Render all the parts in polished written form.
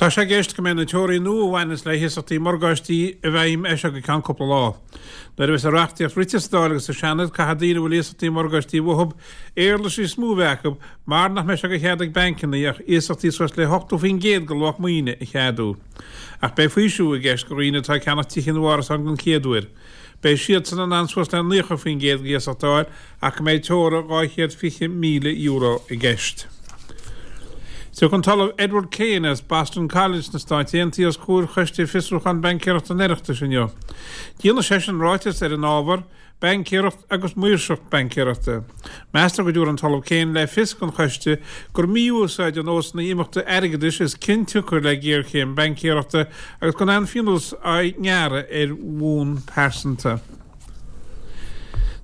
Tá sé i gceist go mbeidh na teoraí nua a bhaineas le hiasachtaí morgáistí i bhfeidhm as seo go ceann cúpla lá. Nuair a bheas an reachtaíocht rite sa Dáil agus sa Seanad, caithfidh daoine a bhfuil iasachtaí morgáistí uathub éarlais níos mó a bheith acu mar nach mbeidh sé de chead ag bancanna ach iasachtaí suas le 80% de luach maoine a cheadú. Ach beidh faoiseamh i gceist do dhaoine atá ag ceannach tithe nó árasán den chéad uair. Beidh siadsan in ann suas le 90% de iasacht a fháil ach go mbeidh teora €220,000 i gceist. Tiocfaidh an tOllamh Edward Kane as Boston College sna Stáit Aontaithe os comhair Choiste Fiosrúcháin Baincéireachta an Oireachtais inniu. Déanfaidh seisean ráiteas ar an ábhar, Baincéireacht agus Maoirseacht Baincéireachta. Meastar go dtabharfaidh an tOllamh Kane le fios don choiste gur mí-úsáid de nósanna imeachta airgeadais is cionsiocair le géarchéim baincéireachta agus go bhfuil an-phionós á ngearradh ar bhonn pearsanta.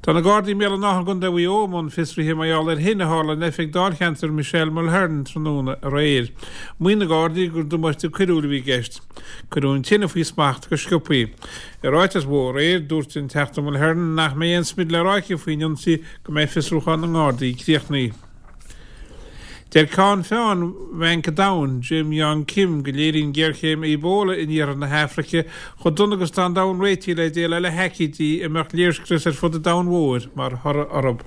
Tá na Gardaí i mBéal an Átha i gContae Mhaigh Eo i mbun fiosraithe mar gheall ar thine a tharla in oifig dáilcheantair Michelle Mulheren tráthnóna aréir. Maíonn na Gardaí gur damáiste coiriúil a bhí i gceist. Cuireadh an tine faoi smacht go sciobtha. I ráiteas uaithi aréir, dúirt an Teachta Mulheren nach mbeidh aon smid le rá aici faoin ionsaí go mbeidh fiosrúchán na nGardaí críochnaithe. Deir Ceann Feadhain Bhanc an Domhain, Jim Yong Kim, go léiríonn géarchéim Ebola in iarthar na hAfraice chomh dona agus atá an domhan réitithe le déileáil le haicídí a mbeadh léirscrios ar fud an domhain mhóir mar thoradh orthu.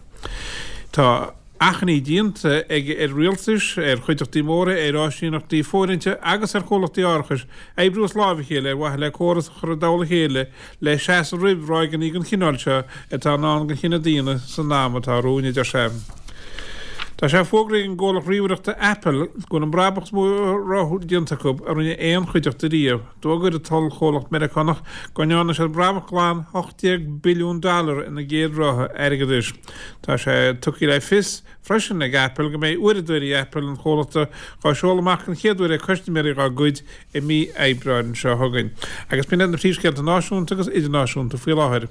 Tá achainí déanta aige ar rialtais, ar chuideachtaí móra, ar áisíneachtaí fóirithinte agus ar chomhlachtaí árachais oibriú as láimh a chéile ar mhaithe le córas a chur i dtoll a chéile le seasamh roimh ráigeanna den chineál seo atá i ndán don chine daonna san am atá romhainn, a deir sé. Tá sé fógraithe ag an gcomhlacht ríomhaireachta Apple go bhfuil an brabach is mó déanta acu a rinne aon chuideachta riamh. D'fhógair an t-ollchomhlacht Meiriceánach go ndearna siad brabach glan 18 billiún dollar ina gcéad ráithe airgeadais. Tá sé tugtha le fios freisin ag Apple go mbeidh uaireadóirí Apple an chomhlachta dhá seoladh amach den chéad uair ag custaiméirí dhá gcuid i mí Aibreáin seo chugainn. Agus b'in iad na príomhscéalta náisiúnta agus idirnáisiúnta faoi láthair.